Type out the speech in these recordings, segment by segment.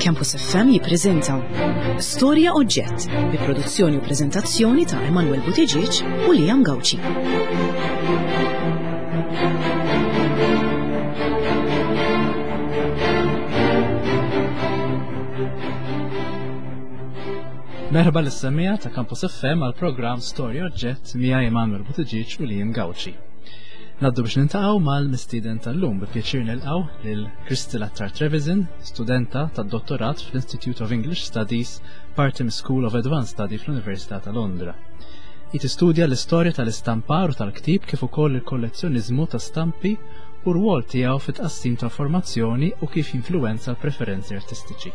Campus FM jippreżenta Storja Oġġett bi produzzjoni u preżentazzjoni ta' Emanuel Buttigieg u Liam Gauci. Merħba lis-semmiegħa ta' Campus FM għal programm Storja Oġġett miegħi Emanuel Buttigieg u Liam Gauci. Naddu biex nintaqgħu mal-mistieden tal-lum bi pjaċir nilqgħu lil Crystal Attar Trevisan, studenta tad-dottorat fl-Institute of English Studies, parti School of Advanced Study fl-Università ta' Londra. Hi tistudja l-istorja tal-istampar u tal-ktib kif ukoll il-kollezzjoniżmu ta' stampi u rwol tiegħu fit-tqassim ta' formazzjoni u kif jinfluwenza l-preferenzi artistiċi.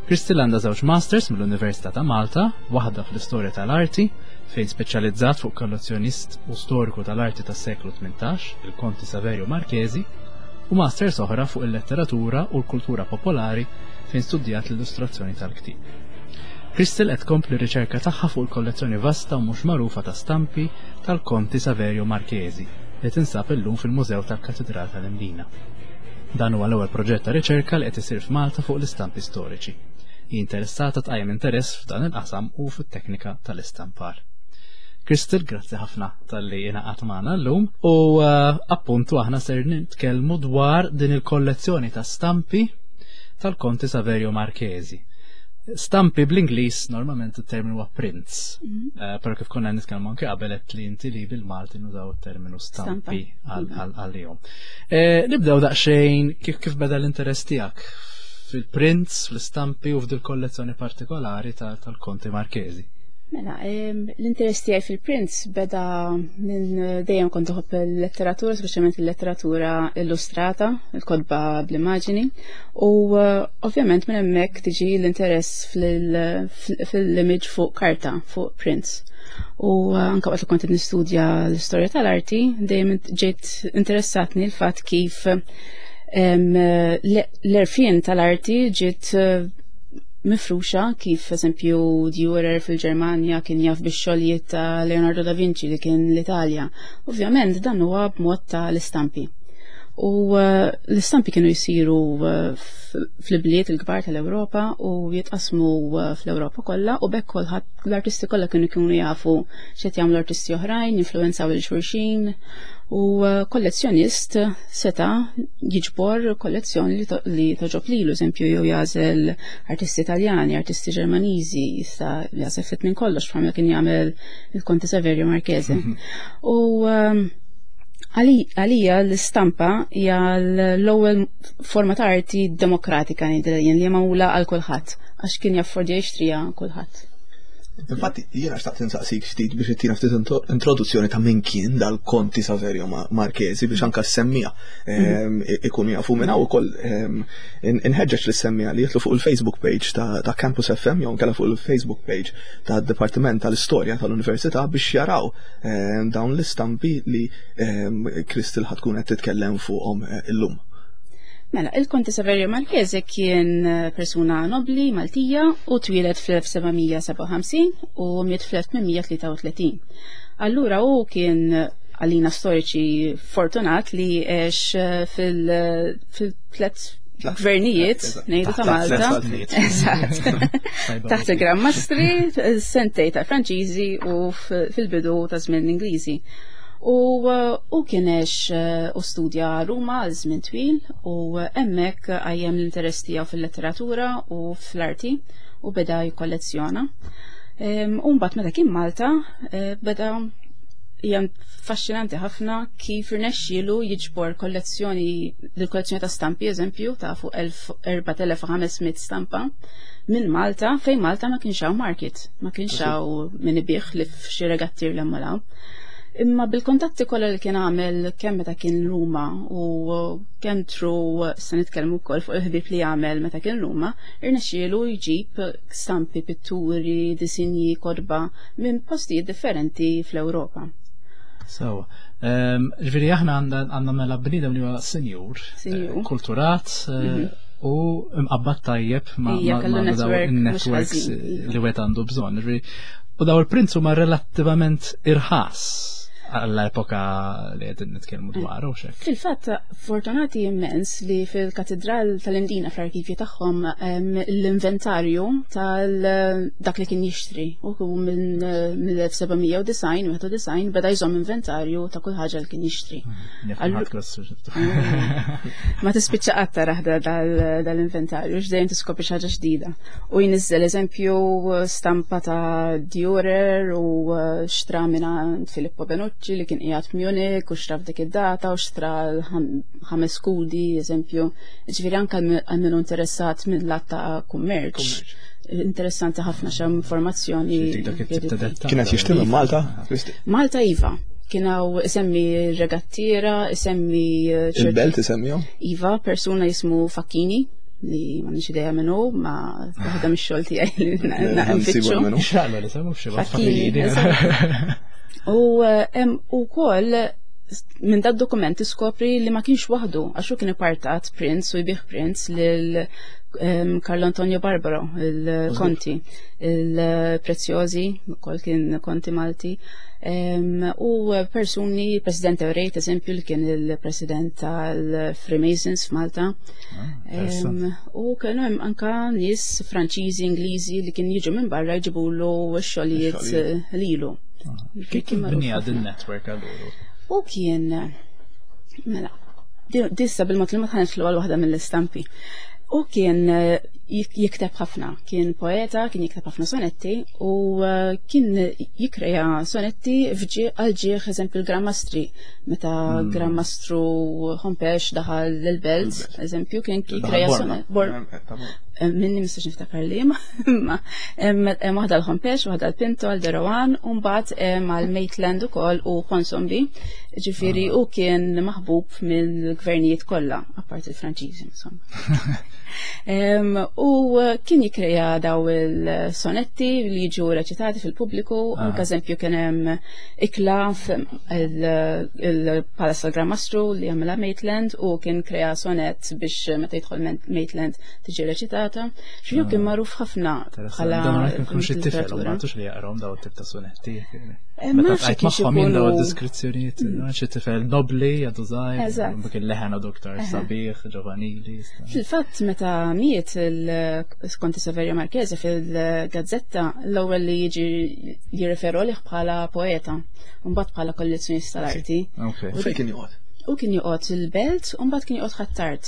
Crystal għandha żewġ masters mill-Università ta' Malta, waħda fl-istorja tal-arti, fejn speċjalizzat fuq kollezzjonist u storiku tal-arti tas-seklu 18, il-Konti Saverio Marchesi, u masters oħra fuq il-letteratura u l-kultura popolari fejn studjat l-illustrazzjoni tal-ktieb. Crystal qed tkompli r-riċerka tagħha fuq il-kollezzjoni vasta u mhux magħrufa ta' stampi tal-Konti Saverio Marchesi li tinsab illum fil-Mużew tal-Katidral tal-Imdina. Dan huwa l-ewwel proġett ta' riċerka li qed isir f'Malta fuq l-istampi storiċi. Hi interessata tqajjem interess f'dan il-qasam u fit-teknika tal-istampar. Crystal, grazzi ħafna tal-li ingħaqad magħna llum u eh, appuntu aħna ser nitkellmu dwar din il-kollezzjoni ta' stampi tal-Konti Saverio Marchesi. Stampi bl-Ingliż normalment it-terminu huwa prints. Mm -hmm. uh, Però kif konna nitkellmu anke qabel qed li inti li bil-Malti nużaw it-terminu stampi mhm. għalihom. Eh, nibdew daqsxejn kif kif beda l-interess tiegħek fil-prints, fl-istampi u f'dil kollezzjoni partikolari tal-Konti Marchesi. Mela, l-interess tiegħi fil-prints beda minn eh, dejjem kont uħobb il-letteratura, speċjalment il-letteratura illustrata, il-kotba bl-immaġini, u eh, ovvjament minn hemmhekk tiġi l-interess fil-image fuq karta, fuq prints. U eh, anke waqt li kont nistudja l-istorja tal-arti, dejjem ġejt interessatni l-fatt kif l-erfien tal-arti ġiet mifruxa kif eżempju Dürer fil-Ġermanja kien jaf bix-xogħlijiet ta' Leonardo da Vinci li kien l-Italja. Ovvjament dan huwa b'mod ta' l-istampi. U eh, l-istampi kienu jsiru eh, fl-bliet il-kbar tal-Ewropa u jitqasmu eh, fl-Ewropa kollha u bekk kulħadd l-artisti kollha kienu jkunu jafu x'qed jagħmlu artisti oħrajn, jinfluwenzaw il xulxin u kollezzjonist seta' jiġbor kollezzjoni li toġob lilu, eżempju jew jagħżel artisti Taljani, artisti Ġermaniżi, jista' jagħżel ftit minn kollox bħalma kien jagħmel il-Konte Saverio Marchese. Mhm. U ehm, għalija l-istampa hija l-ewwel forma ta' arti demokratika ngħidilha jien li hija magħmula għal kulħadd għax kien jaffordja jixtriha kulħadd. Infatti, jiena xtaqt insaqsik ftit biex ittina ftit introduzzjoni ta' min kien dal-Konti Saverio Marchesi biex anka s-semmija mhm. ehm, ikunu jafu minn hawn ukoll ehm, inħeġġeġ li semmija li jitlu fuq il-Facebook page ta' Campus FM jew nkella fuq il-Facebook page ta' Dipartiment tal-Istorja tal-Università biex jaraw ehm, dawn l-istampi li Kristil ħatkun qed titkellem fuqhom eh, illum. Mela, il-Konti Saverio Marchese kien eh, persuna nobli Maltija u twieled fl-1757 u miet fl-1833. Allura hu kien għalina storiċi fortunat li għex eh, fil-tlet gvernijiet ngħidu ta' Malta. Eżatt. Taħt il-Gran Mastri, sentej ta' Franċiżi u fil-bidu ta' żmien l-Ingliżi. U u kien għex eh, u studja Ruma għal żmien twil u hemmhekk għajjem l-interess tiegħu fil-letteratura u fl-arti u beda jikkollezzjona. U mbagħad meta kien Malta eh, beda hija faxxinanti ħafna kif irnexxielu jiġbor kollezzjoni l-kollezzjoni ta' stampi eżempju ta' fuq 4500 stampa minn Malta fejn Malta ma kienx hawn market, ma kienx hawn min ibih li f'xi regattir l Imma bil-kontatti kollha li kien għamel kemm meta kien Ruma u kemm tru se nitkellmu wkoll fuq il-ħbieb li għamel meta kien Ruma, irnexxielu jġib stampi, pitturi, disinji, kotba minn postijiet differenti fl-Ewropa. So, ehm, ġifieri aħna għandna mela bniedem li huwa senjur, eh, kulturat, eh, mhm. u mqabbad tajjeb ma' networks li wieħed għandu bżonn. U daw il-prints huma relattivament irħas. għall-epoka li qegħdin nitkellmu dwar u xek. Fil-fatt, fortunati immens li fil-Katedral tal-Imdina fl-arkivji tagħhom l-inventarju tal dak li kien jixtri u minn 1791 beda jżomm inventarju ta' kull ħaġa li kien jixtri. Ma tispiċċa qatt taraħ dal-inventarju, x'dejjem tiskopri xi ħaġa ġdida. U jniżżel eżempju stampa ta' Dürer u xtra minn Filippo Benucci li kien qiegħed f'Munich u xtra f'dik id-data u xtra ħames skudi, eżempju. Ġifieri anke għal min interessat minn lat ta' kummerċ. Interessanti ħafna xem informazzjoni. Kienet jixtri minn Malta? Malta iva. Kien hawn isemmi regattiera, isemmi Il-belt isemmihom? Iva, persuna jismu Facchini li ma nix idea minnu, ma waħda mix-xogħol tiegħi li nfittxu. Xallu li semmu xi Facchini. U hemm ukoll minn dad dokument tiskopri li ma kienx waħdu, għax hu kien ipartat prints u jbigħ prints lil Carlo Antonio Barbaro, il-Konti, il-Preziosi, ukoll kien Konti Malti, u persuni, President Eurejt, eżempju, li kien il-President tal-Freemasons f'Malta. U kienu hemm anka nies Franċiżi, Ingliżi li kien jiġu minn barra jġibulu x-xogħlijiet lilu. Kif kien bnija din network allura? U kien, mela, dissa bil-mod li ma tħanx l waħda mill-istampi. U kien jikteb ħafna, kien poeta, kien jikteb ħafna sonetti u kien jikreja sonetti għal ġieħ eżempju l-Gran Mastri, meta Gran Mastru Hompesch daħal l-Belt, eżempju, kien jikreja sonetti. Minni mistax niftakar li, ma hemm waħda l-Hompesch, waħda l-Pinto, għal de Rohan, u mbagħad għal Maitland ukoll u Ponsonby. Ġifieri u kien maħbub mill-gvernijiet kollha, apart il-Franċiżi, insomma. U kien jikkreja daw il-sonetti li jiġu reċitati fil-pubbliku, anke eżempju kien hemm ikla il-Palace tal-Gran Mastru li għamilha Maitland u kien krea sonet biex meta jidħol Maitland tiġi reċitata. X'ju kien magħruf ħafna bħala Dan ma jkunx xi tifel, ma tux li jaqrom daw it-tip ta' sonetti. Ma Meta nafx tqajt kif magħhom jien daw ikunu id-deskrizzjonijiet, xi tifel nobli, għadu żgħir, dik il-leħen għadu aktar sabiħ, ġovanili. Fil-fatt meta miet il-Konti Saverio Marchese fil-gazzetta l-ewwel li jiġi jirreferu għalih bħala poeta, u mbagħad bħala kollezzjonista tal-arti. U fejn kien joqgħod? U kien joqgħod il-Belt u mbagħad kien joqgħod Ħ'Attard.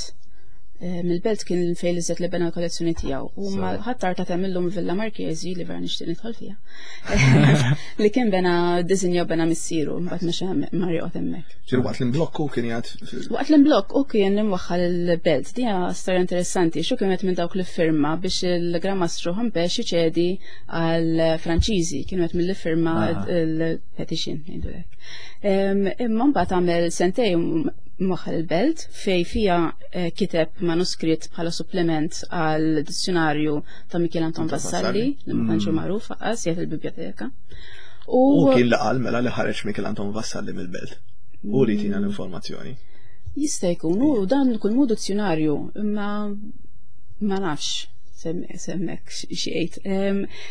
Mill-Belt kien fejn li żed li bena l-kollezzjoni tiegħu. U ma Ħ'Attard ta' tagħmilhom Villa Marchesi li vera nixtieq nidħol fiha. Li kien bena disinja bena missieru, mbagħad mexa mar joqgħod hemmhekk. Ġifieri waqt l-imblokk u kien jgħid Waqt l-imblokk u kien imwaħħal il-Belt. Dija storja interessanti, xu kien minn dawk li firma biex il-Gran Mastru Hompesch iċedi għal Franċiżi, kienu qed mill-li firma il-petition, ngħidulek. Imma mbagħad għamel sentejn mwaħħal il-Belt fej fija kiteb manuskritt bħala supplement għal dizzjonarju ta' Michel Anton Vassalli, li ma tantx magħruf aqas jgħid il-biblioteka. U kien li qal mela li ħareġ Michel Anton Vassalli mill-Belt. U li tina l-informazzjoni. Jista' jkun, u dan kull mu dizzjonarju, imma ma nafx semmek xiejt.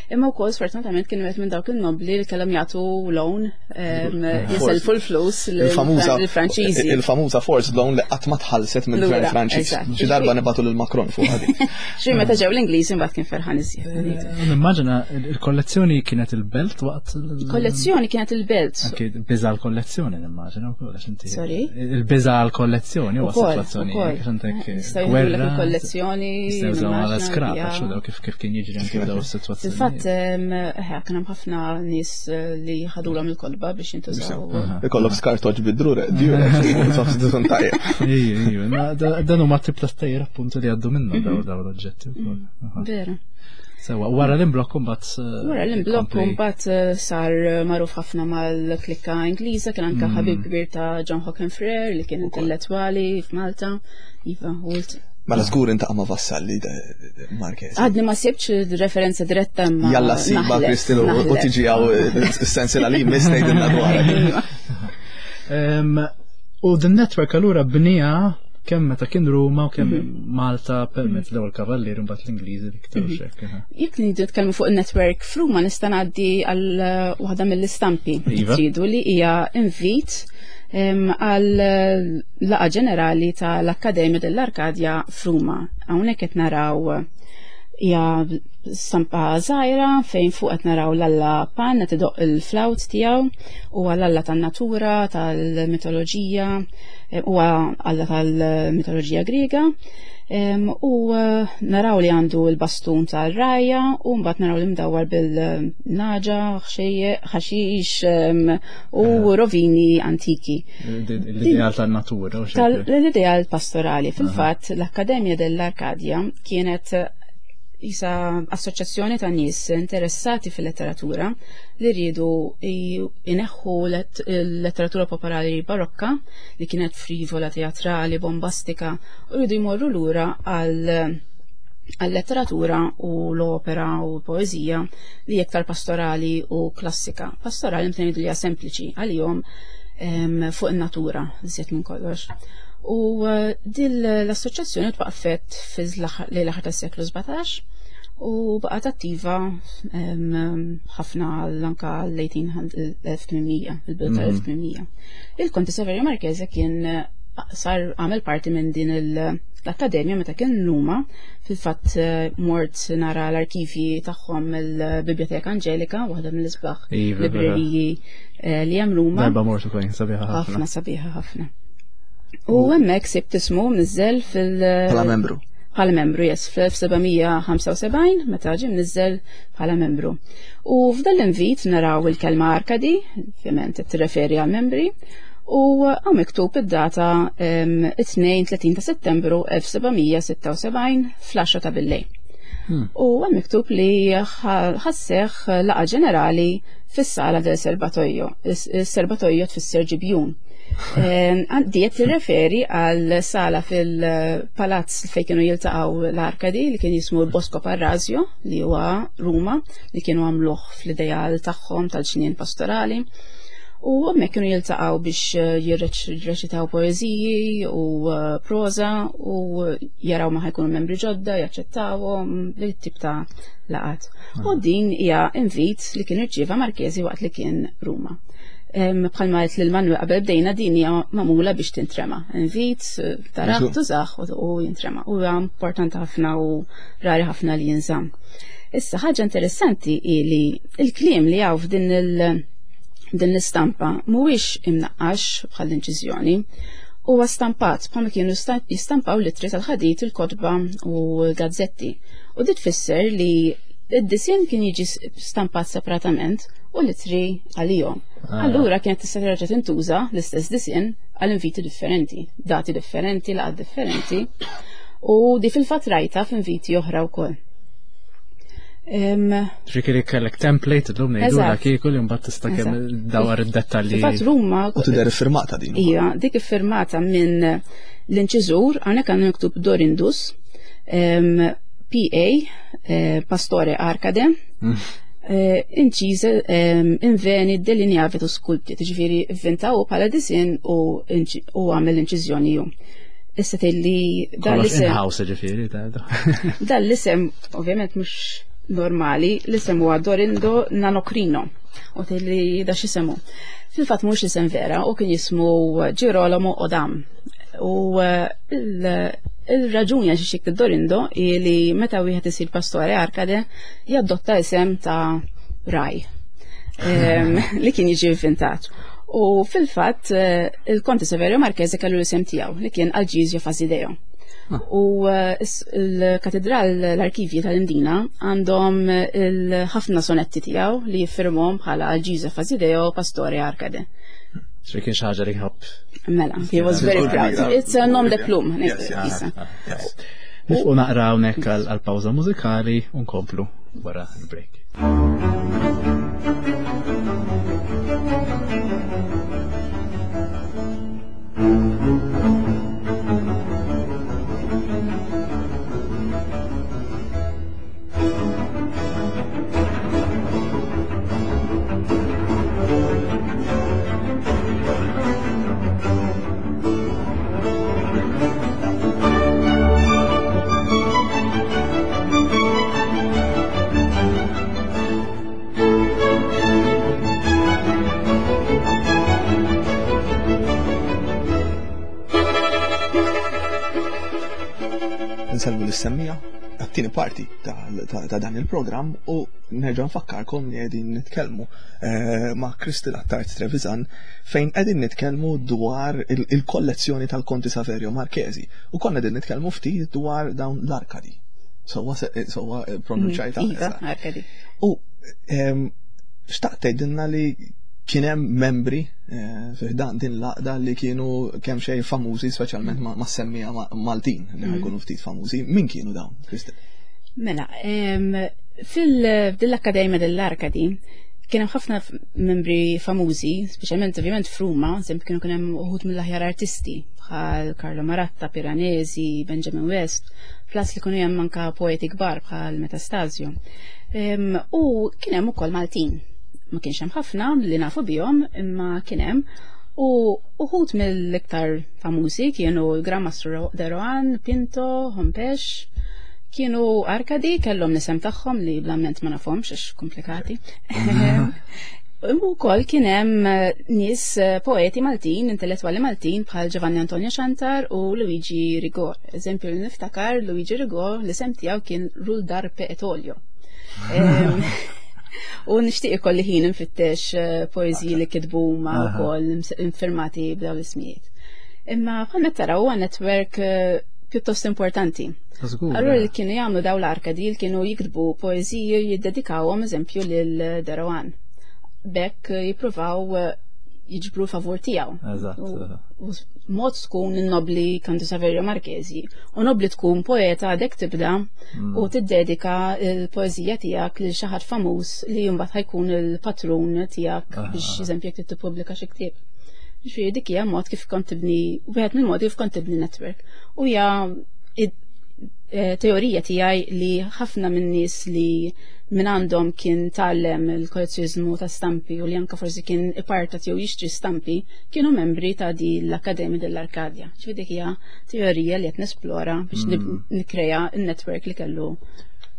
Imma wkoll sfortunatament kienu qed minn dawk il-nobli li kellhom jagħtu loan, jiselfu l-flus lill-Franċiżi. Il-famuża forced loan li qatt ma tħallset mill-gvern Lura, Franċiż. eżatt. Xi darba nibgħatu lil Macron fuq ħadi. Xi meta ġew l-Ingliżi mbagħad kien ferħan iżjed. Nimmaġina il-kollezzjoni kienet il-Belt waqt Il-kollezzjoni kienet il-Belt. Anki biża l-kollezzjoni nimmaġina wkoll għax inti. Sorry? Il-biża l-kollezzjoni huwa Ukoll, sitwazzjoni ukoll. għax għandek Jistgħu jieħdu gwerra, il-kollezzjoni, jistgħu jużaw għal nimmaġina, skrap, ja. għax daw kif kien jiġri anke f'daw is-sitwazzjonijiet. Fil-fatt, kien hemm ħafna nies li ħadulhom il-kolba biex jintużaw. Ikollok skartoġ bid-drure, djure, sostituzzjon tajjeb. Ejju, ejju, ma dan huma tip ta' stejjer appuntu li għaddu minnhom daw l-oġġetti wkoll. Vera. Sewa, wara l-imblokk imbagħad, Wara l-imblokk kompli. imbagħad sar magħruf ħafna mal-klikka Ingliża, kien anke ħabib kbir ta' John Hockin Frere li kien intellettwali f'Malta. Iva, u Mela żgur intaqa' ma' Vassalli Marchese. Għadni ma sibx referenza diretta ma' Jalla siba, naħlef, Kristin, u naħlef. tiġi għaw s-sensila li mistejt dwar. Iva. U the network allura bnija kemm meta kien Ruma u kemm mhm. Malta permezz mhm. l-ewwel kavallieri mbagħad l-Ingliżi iktar mhm. xekk. Jekk nidu nitkellmu fuq in-network f'Ruma nista' ngħaddi għal waħda mill-istampi iva. tridu li hija invit għal laqa ġenerali tal-Akkademja dell-Arkadja f'Ruma. Hawnhekk qed naraw hija stampa żgħira fejn fuq qed naraw l-alla Pan qed idoqq il-flawt tiegħu huwa l-alla tan-natura, tal-mitoloġija, eh, huwa alla tal-mitoloġija Griega. U eh, naraw li għandu l-bastun tal-rajja u mbagħad naraw li mdawwar bil-naġa, ħaxix u eh. rovini antiki. L-ideal tan-natura. L-ideal pastorali. Fil-fatt l-Akkademja dell-Arkadja kienet jisa assoċjazzjoni ta' nies interessati fil-letteratura li rridu ineħħu l-letteratura popolari barokka li kienet frivola, teatrali, bombastika u rridu jmorru lura għal għal-letteratura u l-opera u l-poezija li iktar pastorali u klassika. Pastorali meta ngħidu li hija sempliċi għalihom fuq in-natura iżjed minn kollox. U eh, dil l-assoċjazzjoni twaqqfet lejn l-aħħar tas-seklu 17 u baqgħet attiva ħafna anka l-1800, il-bidu tal-1800. Il-Konti Saverio Marchese kien eh, sar għamel parti minn din l-akkademja meta kien Ruma, fil-fatt eh, mort nara l-arkivji tagħhom il-Biblioteka Angelika, waħda mill-isbaħ iva, libreriji eh, li hemm Ruma. Darba mort ukoll sabiħa ħafna. Ħafna sabiħa ħafna. U hemmhekk sibt ismu mniżżel fil- Bħala membru. Bħala membru, yes, fl-1775 meta ġie mniżżel bħala membru. U f'dan l-invit naraw il-kelma Arkadi, ovvjament qed tirreferi għal membri, u hawn miktub id-data 32 ta' Settembru 1776 fl-10 ta' billejl. Hmm. U hemm miktub li ħasseħ laqa ġenerali fis-sala del Serbatoio. Is-serbatoio tfisser ġibjun. Għandi qed tirreferi għal sala fil-palazz fejn kienu jiltaqgħu l-Arkadi li kien jismu Bosco Parrasio li huwa Ruma li kienu għamluh fl-ideal tagħhom tal-ġnien pastorali. U hemmhekk kienu jiltaqgħu biex eh, jirreċitaw poeżiji u eh, proża u jaraw ma ħajkunu membri ġodda, jaċċettawhom li tip ta' laqat. U din hija invit li kien irċieva Marchesi waqt li kien Ruma. Bħalma għedt lil Manuel qabel bdejna din hija magħmula biex tintrema. Invit, eh, taraħ, tużaħ u jintrema. U huwa importanti ħafna u rari ħafna li jinżamm. Issa ħaġa interessanti hi li il-kliem li hawn f'din il- din l-istampa mhuwiex imnaqqax bħall-inċiżjoni, huwa stampat bħalma kienu jistampaw l-ittri tal-ħadid, il-kotba u l-gazzetti. U dit tfisser li id-disinn kien jiġi stampat separatament u l-ittri għalihom. Ah. Allura kienet tista' terġa' tintuża l-istess disinn għal inviti differenti, dati differenti, laqgħat differenti. U di fil-fatt rajta f'inviti oħra wkoll. Ġifieri kellek template illum ngħidu la kieku li mbagħad tista' kemm dawar id-dettalji. Fatt Ruma. U tidher iffirmata din. Ija, dik iffirmata minn l-inċiżur hawnhekk għandna miktub Dorindus, PA, eh, Pastore Arcade, mm. eh, inċiż inveni delineavitu sculpti, ġifieri vvintaw bħala disin u għamel l-inċiżjoni ju. Issa tgħidli dan l-isem. In-house ġifieri Dan l-isem ovvjament mhux normali, l-isem huwa Dorindo Nanocrino. U tgħidli da x'isemu. Fil-fatt mhux isem vera u kien jismu Girolamo Odam. U eh, il-raġuni għax xik Dorindo hi li meta wieħed isir pastore Arkade jaddotta isem ta' raj li kien jiġi inventat. U fil-fatt eh, il-Konti Severio Marchese kellu l-isem tiegħu li kien Alġizio Fasideo. Ah. U eh, l-katedral l-arkivji tal-Imdina għandhom eh, ħafna sonetti tiegħu li jiffirmhom bħala Alġizio Fasideo Pastore Arcade. Xi kien xi ħaġa li jħobb. Mela, he was very proud. It's a nom de plume. Nifqu naqra hawnhekk għal pawża mużikali u nkomplu wara l-break. Nsellmu lis-semmija għat-tieni parti ta' dan il-programm u nerġa' nfakkarkom li qegħdin nitkellmu eh, ma' Kristel Attard Trevisan fejn qegħdin nitkellmu dwar il-kollezzjoni tal-Konti Saverio Marchesi u konna qegħdin nitkellmu ftit dwar dawn l-arkadi. Sowa sowa eh, pronunċajta. Mm, iva, arkadi. U ehm, xtaqt tgħidilna li kien hemm membri eh, fi ħdan din l-għaqda li kienu kemm xejn famużi speċjalment ma' semmija Maltin li mm. ħajkunu ftit famużi. Min kienu dawn, Kristel? Mela, fil-Akkademja dell-Arkadi kien hemm ħafna membri famużi, speċjalment ovvjament f'Ruma, eżempju kienu kien hemm uħud mill-aħjar artisti bħal Carlo Maratta, Piranesi, Benjamin West, plus li kienu hemm anka poeti kbar bħal Metastasio. U kien hemm ukoll Maltin. Ma kienx hemm ħafna li nafu bihom, imma kien hemm. U uħud mill-iktar famużi kienu l-Gran Mastru de Rohan, Pinto, Hompesch, kienu Arkadi, kellhom l-isem tagħhom li bl-amment ma nafhomx għax komplikati. U wkoll kien hemm eh, nies eh, poeti Maltin, intellettwali Maltin bħal Giovanni Antonio Xantar u Luigi Rigo. Eżempju li niftakar Luigi Rigo l-isem tiegħu kien Rul Darpe et Olio. U nixtieq ikolli ħin nfittex eh, poeżiji li kitbu ma wkoll infirmati b'dawn l-ismijiet. Imma bħalma taraw huwa netwerk pjuttost importanti. Allura li kienu jagħmlu daw l-arkadi li kienu jiktbu poeżiji jiddedikawhom eżempju lil Derawan. Bekk jippruvaw eh, jiġbru favur tiegħu. U mod tkun nobli Kantu Saverio Marchesi u nobli tkun poeta għadek tibda mm. u tiddedika l-poeżija tiegħek lil xi ħadd famuż li mbagħad ħajkun il-patrun tiegħek biex eżempju jekk tippubblika xi ktieb. Ġifieri dik hija mod kif kont tibni wieħed mill-modi kif kont tibni network. U hija eh, teorija tiegħi li ħafna minn nies li minn għandhom kien tgħallem il-kollezzjonizmu ta' stampi u li anka forsi kien ipartat jew jixtri stampi kienu membri ta' di l-Akkademja dell-Arkadja. Ġifieri dik hija teorija li qed nesplora biex mm. nikkrea n-network li kellu.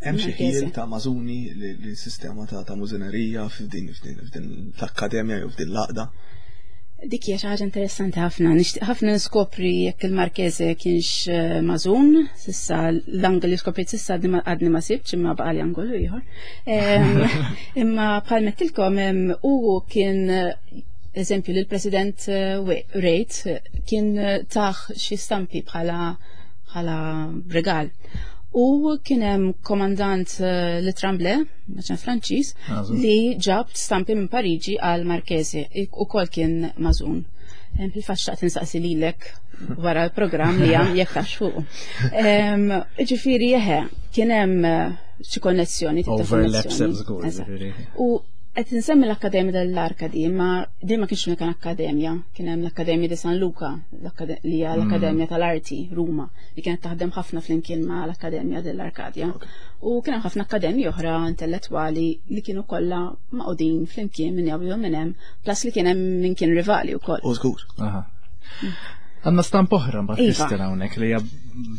Hemm xi ħiel ta' mażuni li sistema ta' mużinerija f'din l-akkademja jew f'din l-għaqda? Dik hija xi ħaġa interessanti ħafna. Nixtieq ħafna niskopri jekk il-Marchese kienx eh, mażun, sissa l-angol li skoprejt sissa għadni ma sibtx imma baqali angolu ieħor. Imma bħal mettilkom u kien eżempju li l-President eh, Rejt kien eh, taħ xi stampi bħala bħala regal. U kien hemm komandant eh, li Tremblay, maċan Franċiż, li ġab stampi minn Pariġi għal Marchese, u kol kien mażun. Fil-fatt xtaqt insaqsi lilek wara l-programm li għam jekk tafx fuq. Ġifieri jeħe, kien hemm eh, xi konnessjoni. Overlaps żgur. U qed insemmi l-Akkademja dell-Arkadi, ma din ma kienx unika akkademja, kien hemm l-Akkademja di San Luca, li hija l-Akkademja mm. tal-Arti Ruma, li kienet taħdem ħafna flimkien ma l-Akkademja dell-Arkadja. U kien hemm ħafna akkademji oħra intellettwali li kienu kollha maqudin flimkien minn jew minn hemm, plus li kien hemm min kien rivali wkoll. U żgur. Għanna stamp oħra mbagħad iva. Kristina hawnhekk li hija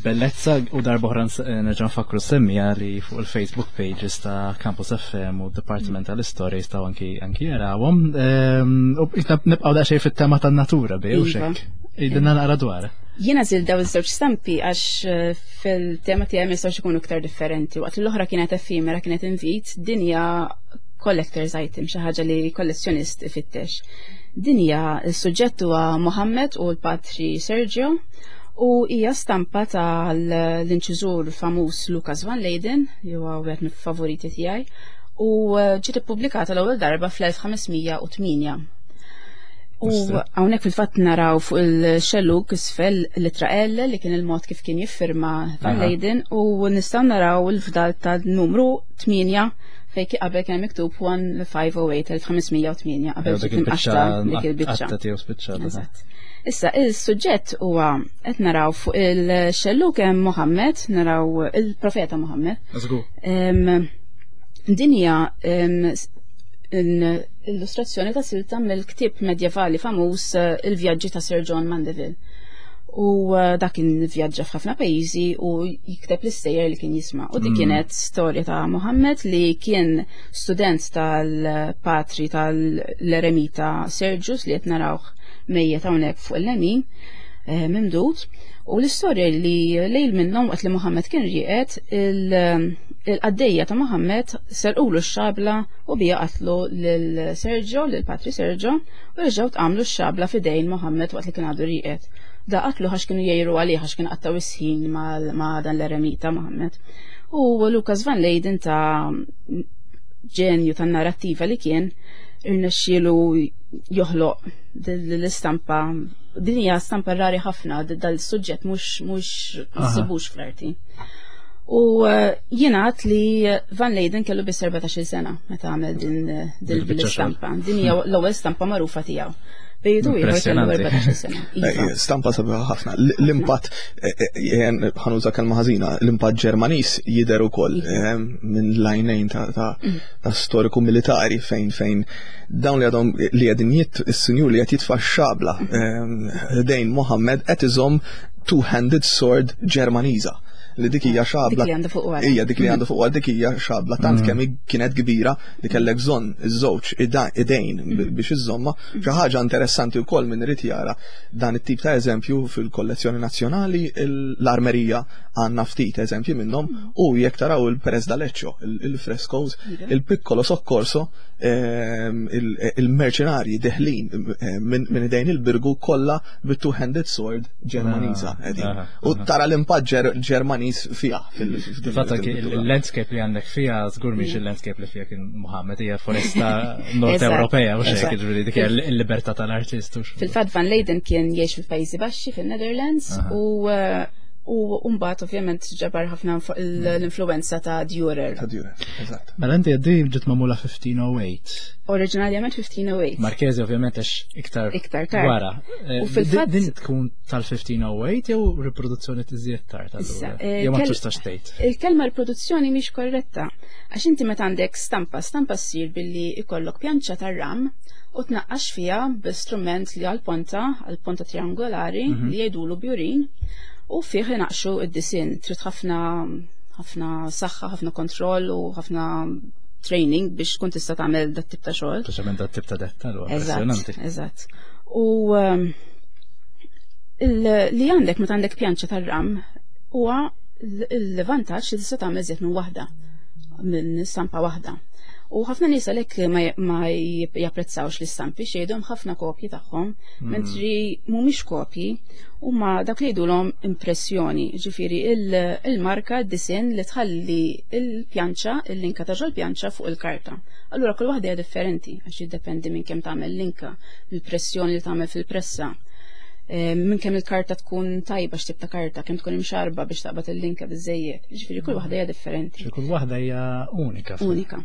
bellezza u darba oħra eh, nerġa' nfakru semmija li fuq il-Facebook pages ta' Campus FM u Departiment tal-Istorja jistgħu anki anki jarawhom. Ehm, u nibqgħu daqsxejn fit-tema tan-natura bi u iva. xek. Idinna naqra dwar. Jiena żil daw iż-żewġ stampi għax eh, fil-tema tiegħi ma jistgħux ikunu iktar differenti. Waqt l-oħra kienet effimera kienet invit, dinja collector's item, xi ħaġa li kollezzjonist ifittex. Din hija s-suġġett huwa Mohammed u l-patri Sergio u hija stampa tal-inċiżur famuż Lucas van Leyden, li huwa wieħed mill-favoriti tiegħi, u eh, ġiet ippubblikata l-ewwel darba fl-1508. U hawnhekk fil-fatt naraw fuq il-xellug isfel l-ittra L li kien il-mod kif kien jiffirma Van Leyden u nistgħu naraw il-fdal tal-numru 8 Fejn ki qabel kien miktub 1508 1508 qabel ġiet imqaxxa dik il-biċċa. Eżatt. Issa il-suġġett huwa qed naraw fuq il-xelluk hemm Muhammad, naraw il-profeta Muhammad. Din hija illustrazzjoni ta' silta mill-ktieb medjevali famuż eh, Il-Vjaġġi ta' Sir John Mandeville. U eh, dak kien vjaġġa f'ħafna pajjiżi u jikteb l-istejjer li kien jisma'. U dik mm. kienet storja ta' Mohammed li kien student tal-patri tal-eremita Sergius li qed narawh mejjet hawnhekk fuq il-lemin. eh, mimdud u l-istorja li lejl minnhom waqt li Muhammad kien rieqed il-qaddejja ta' Muhammad serqulu x-xabla u bija qatlu lil Sergio, lil Patri Sergio, u reġgħu tqamlu x-xabla f'idejn Muhammad waqt li kien għadu rieqed. Da qatlu għax kienu jgħiru għalih għax kien qattaw is-ħin ma' dan l-eremita Muhammad. U Lucas Van Leyden ta' ġenju tan-narrattiva li kien irnexxielu joħloq l-istampa din hija stampa rari ħafna dal-suġġett mhux mhux issibux fl-arti. U eh, jingħad li Van Leyden kellu biss 14 sena meta għamel din l-istampa. Din hija l-ewwel stampa magħrufa tiegħu. Bejdu ieħor kellu 14 sena. Eh, iva. Stampa sabiħa ħafna. L-impatt, eh, ħanuża kelma ħażina, l-impatt Ġermaniż jidher ukoll iva. minn lajnejn ta' mm. ta' storiku militari fejn fejn dawn li għadhom li għedin jit is-sinjur li qed jitfa' xabla ehm, dejn Mohammed qed iżomm two-handed sword Ġermaniża li dik hija xabla. Dik li dik li għandu fuq dik hija xabla tant mm. kemm kienet kbira li kellek bżonn iż-żewġ idejn mm. biex iżomma. Mm. Xi ħaġa interessanti wkoll min irid jara dan it-tip ta' eżempju fil-kollezzjoni nazzjonali l-armerija għandna ftit eżempji minnhom u jekk taraw il-Perez d'Aleccio, il-frescoes, il-Piccolo Soccorso, ehm, il-merċenarji deħlin eh, minn idejn il-birgu kollha bit-two-handed sword Ġermaniża. Ah, ah, u ah. tara l-impatt Ġermaniż fiha. Fatt il-landscape li għandek fiha żgur mhix il-landscape li fiha kien Muhammad hija foresta Nord Ewropea u xejn jiġifieri dik il-libertà tal-artist. Fil-fatt Van Leyden kien jgħix fil-Pajjiżi Baxxi fin-Netherlands u eh, U mbagħad ovvjament ġabar ħafna l-influenza ta' Dürer. Ta' Dürer, eżatt. Mela inti għaddi ġiet magħmula 1508. Oriġinarjament 1508. Marchese ovvjament għax iktar iktar tard. Wara. Eh, u fil-fatt din tkun tal-1508 jew riproduzzjoni tiżjed tard allura. Eh, jew ma tistax tgħid. Il-kelma riproduzzjoni mhix korretta għax inti meta għandek stampa, stampa ssir billi ikollok pjanċa tar-ram u tnaqqax fiha b'istrument li għal-ponta, għal-ponta triangolari mhm. li jgħidulu bjurin u fih inaqxu id-disin. Trid ħafna ħafna saħħa, ħafna kontroll u ħafna training biex tkun tista' tagħmel dat tip ta' xogħol. Speċjalment dat tip ta' dettal huwa impressjonanti. Eżatt. U ehm, li għandek meta għandek pjanċa tar-ram huwa l-vantaġġ li tista' tagħmel żied minn waħda minn stampa waħda. U ħafna nies għalhekk ma japprezzawx l-istampi xejdhom ħafna kopji tagħhom, mm. mentri mhumiex kopji huma dak li jgħidulhom impressjoni, ġifieri il-marka d-disinn li tħalli il-pjanċa, il-linka ta' ġol-pjanċa fuq il-karta. Allura kull waħda hija differenti għax jiddependi minn kemm tagħmel linka, il-pressjoni li tagħmel fil-pressa. Eh, minn kemm il-karta tkun tajba x'tip ta' karta, kemm tkun imxarba biex taqbad il-linka biżejjed. Ġifieri kull waħda hija differenti. Kull waħda hija unika. Unika.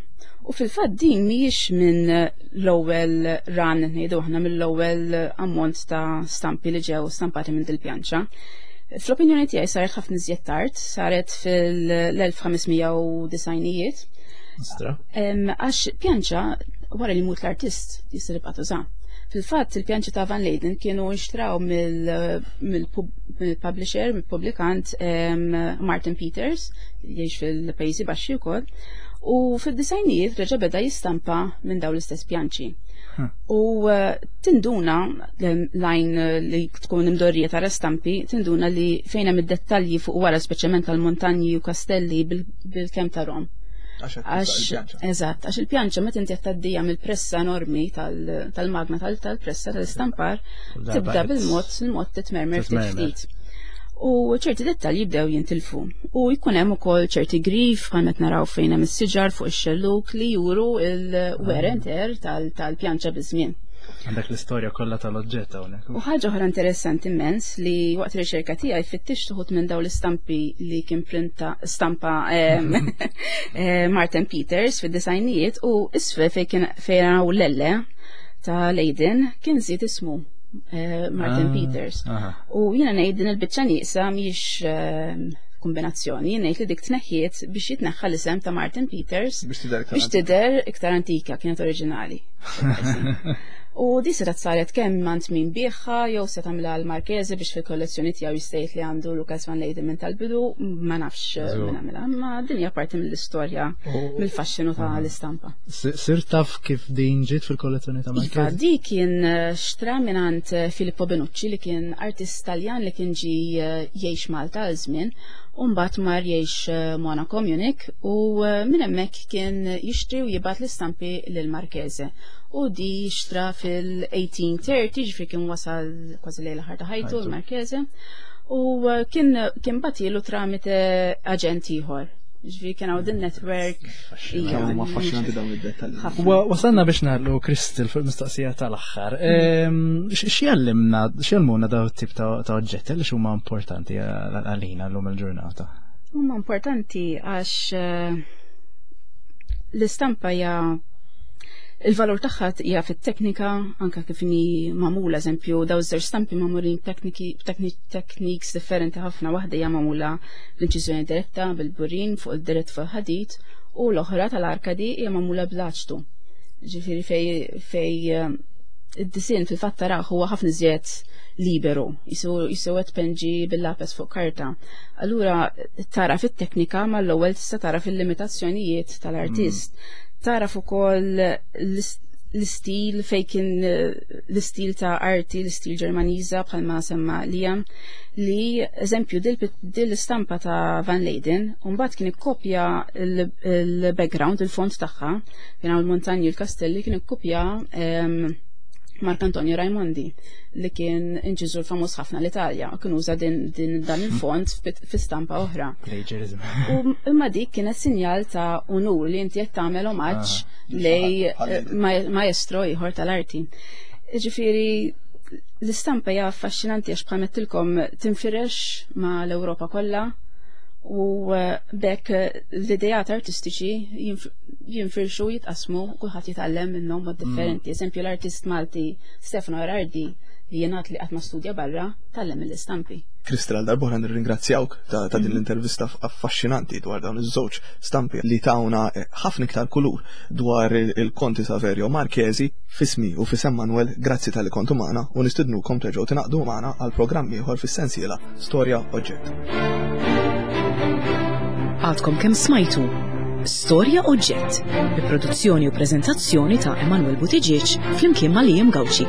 U fil-fatt din mhijiex minn l-ewwel run ngħidu aħna mill-ewwel ammont ta' stampi li ġew stampati minn dil-pjanċa. Fl-opinjoni tiegħi saret ħafna iżjed tard, saret fil-1590ijiet. Għax pjanċa wara li mut l-artist jista' tibqa' tuża. Fil-fatt, il-pjanċi ta' Van Leyden kienu nxtraw mill-publisher, mill-publikant Martin Peters, jgħix fil-Pajjiżi Baxxi wkoll, u fid-disajnijiet reġa' beda jistampa minn dawn l-istess pjanċi. U eh, tinduna lajn li tkun imdorrija tara stampi, tinduna li fejn hemm id-dettalji fuq wara speċjalment tal-montanji u kastelli bil-kemm tarhom. Għax, eżatt, għax il-pjanċa meta inti qed tgħaddija mill-pressa enormi tal-magna tal-pressa tal-istampar, tibda bil-mod il-mod titmermer ftit ftit. U ċerti dettalji jibdew jintilfu. U jkun hemm ukoll ċerti grif bħal qed naraw fejn hemm is-siġar fuq ix-xelluk li juru il-wear and tear tal-pjanċa biż-żmien. Għandek l-istorja kollha tal-oġġett hawnhekk. U ħaġa oħra interessanti immens li waqt riċerka tiegħi fittixt uħud minn dawn l-istampi li kien printa stampa eh, Martin Peters fid-disajnijiet u isfel fejn kien fejn hawn l-elle ta' Leiden kien żied ismu eh, Martin ah, Peters. U jiena ngħid din il-biċċa nieqsa mhix kombinazzjoni, ngħid li dik tneħħiet biex jitneħħa l-isem ta' Martin Peters biex tidher iktar antika kienet oriġinali. U di setgħet saret kemm għand min biegħha jew se tagħmilha l-Marchese biex fil-kollezzjoni tiegħu jista' jgħid li għandu Lucas van Leyden minn tal-bidu, ma nafx min għamilha, imma din hija parti mill-istorja, mill-faxxinu ta' l-istampa. Sir taf kif din ġiet fil-kollezzjoni ta' Marchese? Iva, di kien xtra minn għand Filippo Benucci li kien artist Taljan li kien ġi jgħix Malta għal żmien u mbagħad mar jgħix Monaco, Munich, u minn hemmhekk kien jixtri u jibgħat l-istampi lil Marchese. U di xtra fil-1830, ġifieri kien wasal kważi lejn l-aħħar ta' ħajtu l-Marchese, u kien batilu tramite aġent ieħor. Ġifieri kien hawn din network. Kemm huma affaxxinanti dawn id-dettalji. Wasalna biex nagħlqu Crystal fuq il-mistoqsija tal-aħħar. X'jallimna, x'jallmuna dawn it-tip ta' oġġetti għaliex huma importanti għalina llum il-ġurnata? Huma importanti għax l-istampa hija il-valur tagħha hija fit-teknika, anke kif inhi magħmula, eżempju, daw iż-żewġ stampi magħmulin techniques differenti ħafna, waħda hija magħmula bl-inċiżjoni diretta bil-burin fuq il-dirett fuq il-ħadid u l-oħra tal-arkadi hija magħmula bl-aċtu. Ġifieri fej id-disinn fil-fatt taraħ huwa ħafna iżjed liberu, jisu qed penġi bil-lapes fuq karta. Allura tara fit-teknika mal-ewwel tista' tara fil-limitazzjonijiet tal-artist. Taraf ukoll l-istil fej kien l-istil ta' arti, l-istil Ġermaniża bħalma semma Liam, li eżempju dil l-istampa ta' Van Leyden, u mbagħad kien ikkopja l-background, il-font tagħha, kien hawn il-montanji, il-kastelli, kien ikkopja Marc Antonio Raimondi li kien inċiżur famuż ħafna l-Italja u kien uża din dan il-font fi stampa oħra. Plagiarism. U imma dik kienet sinjal ta' unur li inti qed tagħmel omaġġ lej maestro ieħor tal-arti. Ġifieri l-istampa hija affaxxinanti għax bħal mettilkom tinfirex ma' l-Ewropa kollha u bekk l-ideat artistiċi jinfirxu, jitqasmu, kulħadd jitgħallem minnhom mod differenti. Eżempju l-artist Malti Stefano Erardi li jingħad li qatt ma studja barra, tgħallem mill-istampi. Crystal, għal darb'oħra nirringrazzjawk ta' din l-intervista affaxxinanti dwar dawn iż-żewġ stampi li tawna ħafna iktar kulur dwar il-Konti Saverio Marchesi. F'ismi u f'isem Manuel, grazzi talli kontu magħna u nistidnukom terġgħu tingħaqdu magħna għal programm ieħor fis-sensiela Storja Oġġett. Għadkom kemm smajtu Storja Oġġett bi produzzjoni u preżentazzjoni ta' Emanuel Buttigieg flimkien ma' Liam Gauci.